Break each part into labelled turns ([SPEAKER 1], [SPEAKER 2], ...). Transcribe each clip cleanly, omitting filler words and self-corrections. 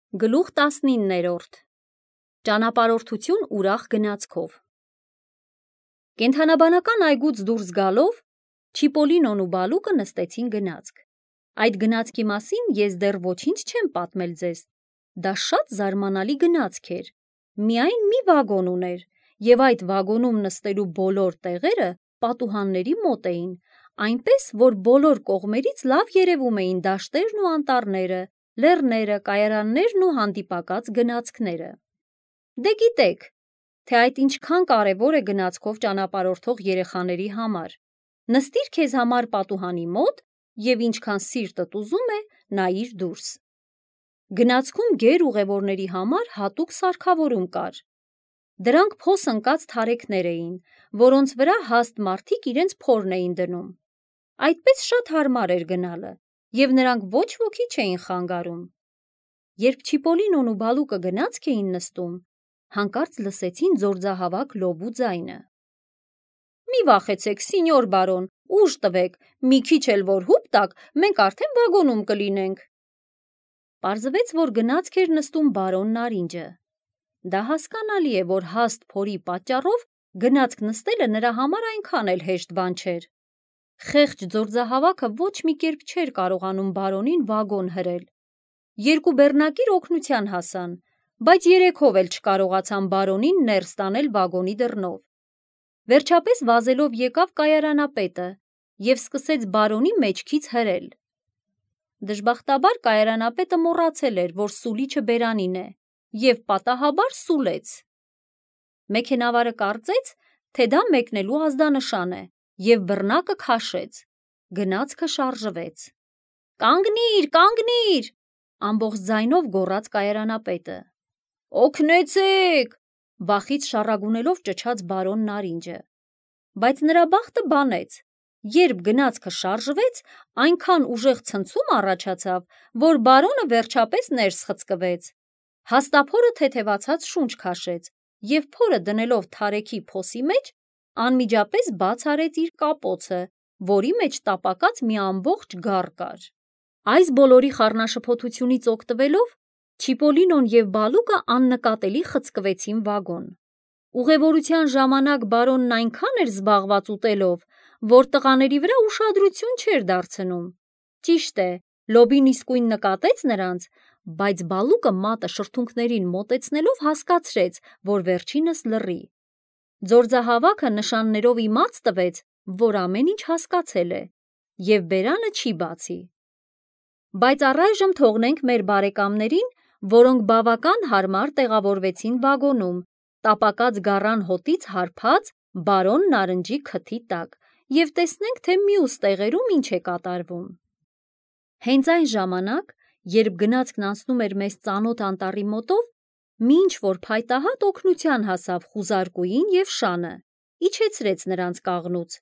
[SPEAKER 1] Գլուխ 19-րդ Ճանապարհորդություն ուրախ գնացքով։ Կենդանաբանական այգուց դուրս գալով Չիպոլինոն ու Բալուկը նստեցին գնացք։ Այդ գնացքի մասին ես դեռ ոչինչ չեմ պատմել ձեզ։ Դա շատ զարմանալի գնացք էր։ Միայն մի վագոն ուներ, եւ այդ վագոնում նստելու բոլոր տեղերը պատուհանների մոտ էին, այնպես որ բոլոր կողմերից լավ երևում էին դաշտերն ու անտառները, լեռները, կայարաններն ու հանդիպակաց գնացքները։ Դե գիտեք, թե այդ ինչքան կարևոր է գնացքով ճանապարհորդող երեխաների համար։ Նստիր քեզ համար պատուհանի մոտ եւ ինչքան սիրտդ ուզում է, նայիր դուրս։ Գնացքում գեր ուղևորների համար հատուկ սարքավորում կար։ Դրանք փոս ընկած թարեքներ էին, որոնց վրա հաստ մարդիկ իրենց փորն էին դնում։ Այդպես շատ հարմար էր գնալը, եւ նրանք ոչ ոքի չէին խանգարում։ Երբ Չիպոլինոն ու Բալուկը գնացք էին նստում, հանկարծ լսեցին ձորձահավաք լոբու ձայնը։ Մի վախեցեք, սինյոր բարոն, ուժ տվեք, մի քիչ էլ որ հուպ տաք, մենք արդեն վագոնում կլինենք։ Պարզվեց, որ գնացք էր նստում բարոն Նարինջը։ Դա հասկանալի է, որ հաստ փորի պատճառով գնացք նստելը նրա համար այնքան էլ հեշտ բան չէր։ Խեղճ ձորձահավաքը ոչ մի կերպ չէր կարողանում բարոնին վագոն հրել։ Երկու բեռնակիր օգնության հասան, բայց երեքով էլ չկարողացան բարոնին ներս տանել վագոնի դռնով։ Վերջապես վազելով եկավ կայարանապետը եւ սկսեց բարոնի մեջքից հրել։ Դժբախտաբար կայարանապետը մոռացել էր, որ սուլիչը բերանին է, եւ պատահաբար սուլեց։ Մեքենավարը կարծեց, թե դա մեկնելու ազդանշան է, եւ բռնակը քաշեց։ Գնացքը շարժվեց։ Կանգնիր, կանգնիր, ամբողջ ձայնով գոռաց կայարանապետը։ Օգնեցեք, վախից շառագունելով ճչաց բարոն Նարինջը։ Բայց նրա բախտը բանեց։ Երբ գնացքը շարժվեց, այնքան ուժեղ ցնցում առաջացավ, որ բարոնը վերջապես ներս խցկվեց։ Հաստափորը թեթևացած շունչ քաշեց, եւ փորը դնելով թարեքի փոսի մեջ, անմիջապես բաց արեց իր կապոցը, որի մեջ տապակած մի ամբողջ գառ կար։ Այս բոլորի խառնաշփոթությունից օգտվելով Չիպոլինոն եւ Բալուկը աննկատելի խցկվեցին վագոն։ Ուղևորության ժամանակ բարոնն այնքան էր զբաղված ուտելով, որ տղաների վրա ուշադրություն չէր դարձնում։ Ճիշտ է, լոբին իսկույն նկատեց նրանց, բայց Բալուկը մատը շրթունքներին մոտեցնելով հասկացրեց, որ վերջինս լռի։ Ձորձահավաքը նշաններով իմաց տվեց, որ ամեն ինչ հասկացել է, եւ բերանը չի բացի։ Բայց առայժմ թողնենք մեր բարեկամներին, որոնք բավական հարմար տեղավորվեցին վագոնում, տապակած գառան հոտից հարբած բարոն Նարնջի քթի տակ, եւ տեսնենք, թե մյուս տեղերում ինչ է կատարվում։ Հենց այն ժամանակ, երբ գնացքն անցնում էր մեզ ծանոթ անտառի մոտով, մի ինչ-որ փայտահատ օգնության հասավ խուզարկուին եւ շանը, իջեցրեց նրանց կաղնուց,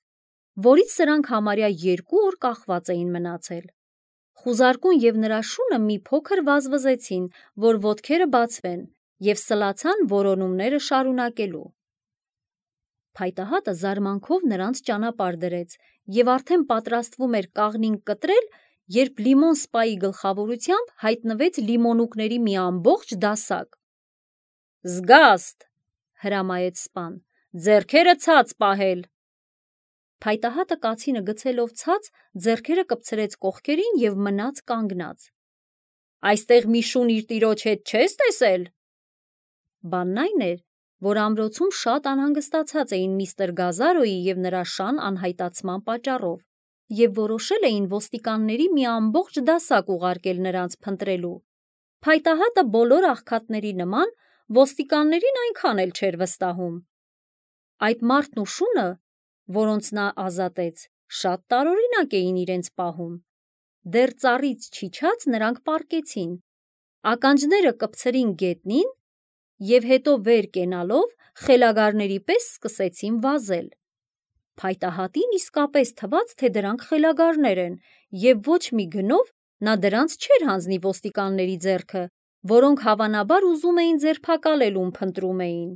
[SPEAKER 1] որից սրանք համարյա 2 օր կախված էին մնացել։ Խուզարկուն եւ նրա շունը մի փոքր վազվզեցին, որ ոտքերը բացվեն, եւ սլացան որոնումները շարունակելու։ Փայտահատը զարմանքով նրանց ճանապարհ դրեց եւ արդեն պատրաստվում էր կաղնին կտրել, երբ Լիմոն սպայի գլխավորությամբ հայտնվեց լիմոնուկների մի ամբողջ դասակ։ Զգաստ, հրամայեց սպան, ձեռքերը ցած պահել։ Փայտահատը կացինը գցելով ցած, ձեռքերը կպցրեց կողքերին եւ մնաց կանգնած։ Այստեղ մի շուն իր տիրոջ հետ չես տեսել։ Բանն այն էր, որ ամրոցում շատ անհանգստացած էին միստր Գազարոյի եւ նրա շան անհայտացման պատճառով, եւ որոշել էին ոստիկանների մի ամբողջ դասակ ուղարկել նրանց փնտրելու։ Փայտահատը բոլոր աղքատների նման ոստիկաններին այնքան էլ չէր վստահում։ Այդ մարդն ու շունը, որոնց նա ազատեց, շատ տարօրինակ էին իրենց պահում։ Դեռ ծառից չիջած նրանք պառկեցին, ականջները կպցրին գետնին եւ հետո վեր կենալով խելագարների պես սկսեցին վազել։ Փայտահատին իսկապես թվաց, թե դրանք խելագարներ են, եւ ոչ մի գնով նա դրանց չէր հանձնի ոստիկանների ձեռքը, որոնք հավանաբար ուզում էին ձերբակալել ում փնտրում էին։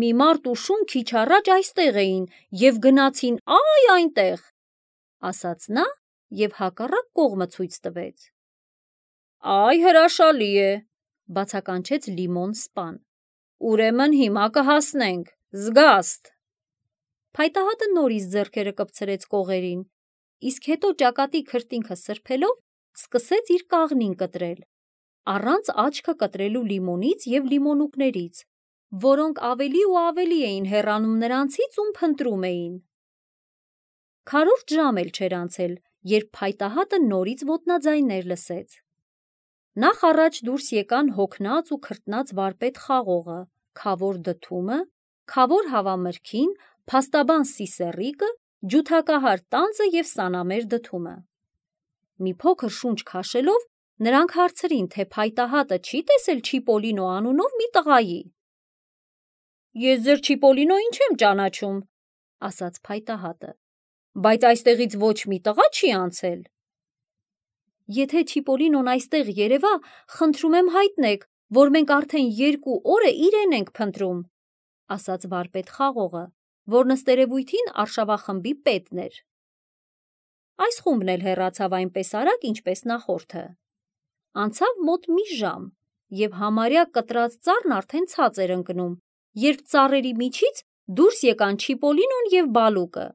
[SPEAKER 1] Մի մարդ ու շուն քիչ առաջ այստեղ էին եւ գնացին այնտեղ, ասաց նա եւ հակառակ կողմը ցույց տվեց։ Այ հրաշալի է, բացականչեց Լիմոն սպան։ Ուրեմն հիմա կհասնենք, զգաստ։ Փայտահատը նորից ձեռքերը կպցրեց կողերին, իսկ հետո ճակատի քրտինքը սրբելով սկսեց իր կաղնին կտրել, առանց աչքը կտրելու Լիմոնից և լիմոնուկներից, որոնք ավելի ու ավելի էին հեռանում նրանցից, ում փնտրում էին։ Քառորդ ժամ էլ չէր անցել, երբ փայտահատը նորից ոտնաձայններ լսեց։ Նախ առաջ դուրս եկան հոգնած ու քրտնած վարպետ Խաղողը, Քավոր Դդումը, Քավոր Հավամրգին, Փաստաբան Սիսեռիկը, ջութակահար Տանձը և Սանամեր Դդումը։ Մի փոքր շունչ քաշելով նրանք հարցրին, թե փայտահատը չի տեսել Չիպոլինո անունով մի տղայի։ Ես ձեր Չիպոլինոին չեմ ճանաչում, ասաց փայտահատը, բայց այստեղից ոչ մի տղա չի անցել։ Եթե Չիպոլինոն այստեղ երևա, խնդրում եմ հայտնեք, որ մենք արդեն 2 օր է իրեն ենք փնտրում, ասաց վարպետ Խաղողը, որ ըստերևույթին արշավախմբի պետն էր։ Այս խումբն էլ հեռացավ այնպես արագ, ինչպես նախորդը։ Անցավ մոտ մի ժամ, և համարյա կտրած ծառն արդեն ցած էր ընկնում, երբ ծառերի միջից դուրս եկան Չիպոլինոն և Բալուկը։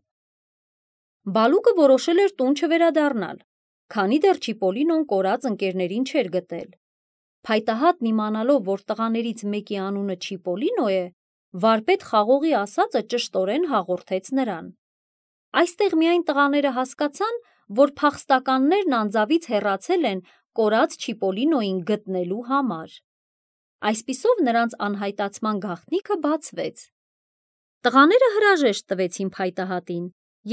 [SPEAKER 1] Բալուկը որոշել էր տուն չվերադառնալ, քանի դեռ Չիպոլինոն կորած ընկերներին չէր գտել։ Փայտահատն իմանալով, որ տղաներից մեկի անունը Չիպոլինո է, վարպետ Խաղողի ասածը ճշտորեն հաղորդեց նրան։ Այստեղ միայն տղաները հասկացան, որ փախստականներն անձավից հեռացել են կորած Չիպոլինոին գտնելու համար։ Այսպիսով նրանց անհայտացման գաղտնիքը բացվեց։ Տղաները հրաժեշտ տվեցին փայտահատին,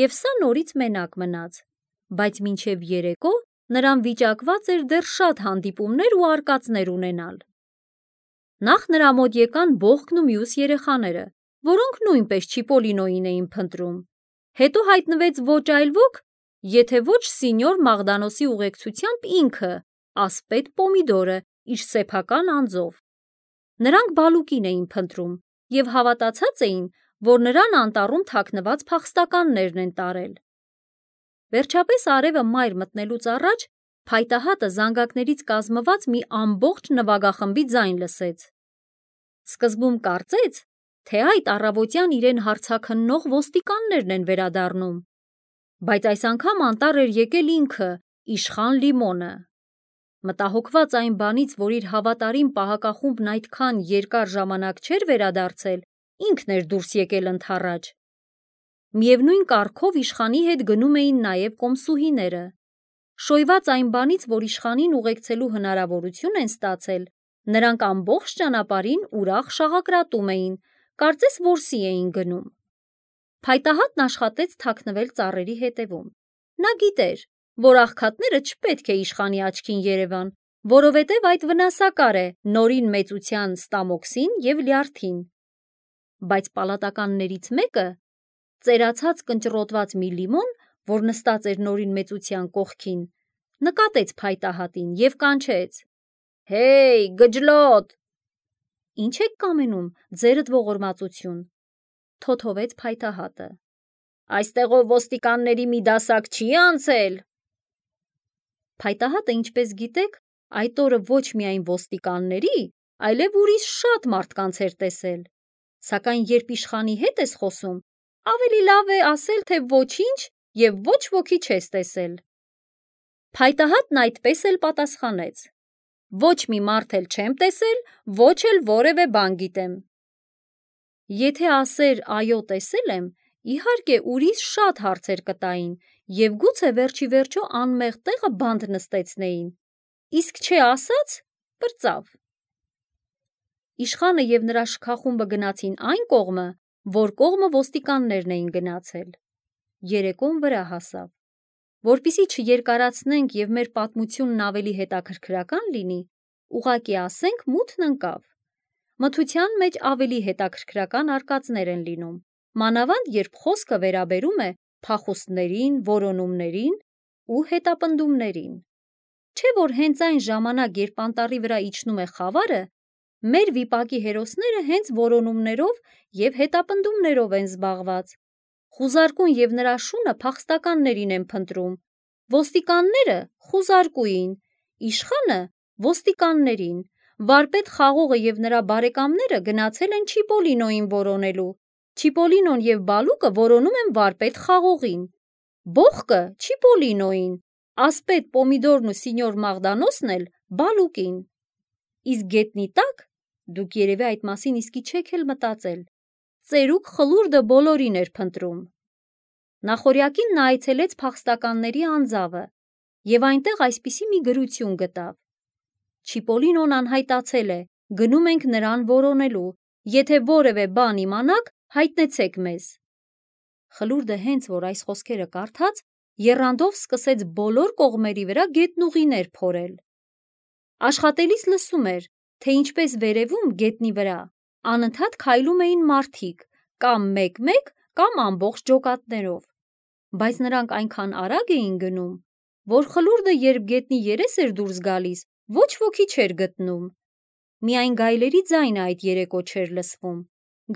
[SPEAKER 1] և սա նորից մենակ մնաց, բայց մինչև երեկո նրան վիճակված էր դեռ շատ հանդիպումներ ու արկածներ ունենալ։ Նախ նրա մոտ եկան Բողոքն ու մյուս երեխաները, որոնք նույնպես Չիպոլինոին էին փնտրում։ Հետո հայտնվեց ոչ այլ ոք, եթե ոչ Սինյոր Մաղդանոսի ուղեկցությամբ ինքը, ասպետ Պոմիդորը, իր սեփական անձով։ Նրանք Բալուկին էին փնտրում և հավատացած էին, որ նրան անտառում թաքնված փախստականներն են տարել։ Վերջապես արևը մայր մտնելուց առաջ փայտահատը զանգակներից կազմված մի ամբողջ նվագախմբի ձայն լսեց։ Սկզբում կարծեց, թե այդ առավոտյան իրեն հարցաքննող ոստիկաններն են վերադառնում, բայց այս անգամ անտառ էր եկել ինքը, իշխան Լիմոնը։ Մտահոգված այն բանից, որ իր հավատարիմ պահակախումբն այդքան երկար ժամանակ չէր վերադարձել, ինքն էր դուրս եկել ընդառաջ։ Միևնույն կարգով իշխանի հետ գնում էին նաև կոմսուհիները։ Շոյված այն բանից, որ իշխանին ուղեկցելու հնարավորություն են ստացել, նրանք ամբողջ ճանապարհին ուրախ շաղակրատում էին, կարծես որսի էին գնում։ Փայտահատն աշխատեց թաքնվել ծառերի հետևում։ Նա գիտեր, որ աղքատները չպետք է իշխանի աչքին երևան, որովհետև այդ վնասակար է նորին մեծության Ստամոքսին և Լյարդին։ Բայց պալատականներից մեկը, ծերացած կնճռոտված մի Լիմոն, որ նստած էր նորին մեծության կողքին, նկատեց փայտահատին և կանչեց. «Հեյ, գջլոտ»։ Ինչ եք կամենում, ձերդ ողորմածություն, թոթովեց փայտահատը։ Այստեղով ոստիկանների մի դասակ չի անցել։ Փայտահատը, ինչպես գիտեք, այդ օրը ոչ միայն ոստիկանների, այլև ուրիշ շատ մարդկանց էր տեսել։ Սակայն երբ իշխանի հետ ես խոսում, ավելի լավ է ասել, թե ոչինչ և ոչ ոքի չես տեսել։ Փայտահատն այդպես էլ պատասխանեց. ոչ մի մարդ էլ չեմ տեսել, ոչ էլ որևէ բան գիտեմ։ Եթե ասեր այո տեսել եմ, իհարկե ուրիշ շատ հարցեր կտային և գուցե վերջի վերջո անմեղ տեղը բանտ նստեցնեին, իսկ չէ ասած, պրծավ։ Իշխանը և նրա շքախումբը գնացին այն կողմը, որ կողմը ոստիկաններն էին գնացել։ Երեկոն վրա հասավ։ Որպեսզի չերկարացնենք և մեր պատմությունն ավելի հետաքրքրական լինի, ուղղակի ասենք մութն ընկավ։ Մթության մեջ ավելի հետաքրքրական արկածներ են լինում, մանավանդ երբ խոսքը վերաբերում է փախուստներին, որոնումներին ու հետապնդումներին։ Չէ՞ որ հենց այն ժամանակ, երբ անտառի վրա իջնում է խավարը, մեր վիպակի հերոսները հենց որոնումներով և հետապնդումներով են զբաղված։ Խուզարկուն և նրա շունը փախստականներին են փնտրում, ոստիկանները խուզարկուին, իշխանը ոստիկաններին, վարպետ խաղողը և նրա բարեկամները գնացել են Չիպոլինոյին որոնելու։ Չիպոլինոն և Բալուկը որոնում են վարպետ խաղողին։ Բողկը Չիպոլինոյին, ասպետ Պոմիդորն ու սինյոր Մաղդանոսն էլ Բալուկին։ Իսկ գետնի տակ, դուք երևի այդ մասին իսկի չեք էլ մտածել, ծերուկ խլուրդը բոլորին էր փնտրում։ Նախօրյակին նա այցելեց փախստականների անձավը և այնտեղ այսպիսի մի գրություն գտավ. Չիպոլինոն անհայտացել է, գնում ենք նրան որոնելու, եթե որևէ բան իմանաք, հայտնեցեք մեզ։ Խլուրդը հենց որ այս խոսքերը կարդաց, եռանդով սկսեց բոլոր կողմերի վրա գետնուղիներ փորել։ Աշխատելիս լսում էր, թե ինչպես վերևում գետնի վրա անընդհատ քայլում էին մարդիկ, կամ մեկ-մեկ, կամ ամբողջ ջոկատներով, բայց նրանք այնքան արագ էին գնում, որ խլուրդը երբ գետնի երես էր դուրս գալիս, ոչ ոքի չէր գտնում։ Միայն գայլերի ձայնը այդ երեկո չէր լսվում։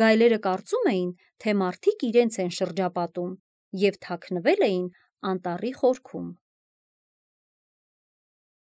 [SPEAKER 1] Գայլերը կարծում էին, թե մարդիկ իրենց են շրջապատում և թաքնվել էին անտառի խորքում։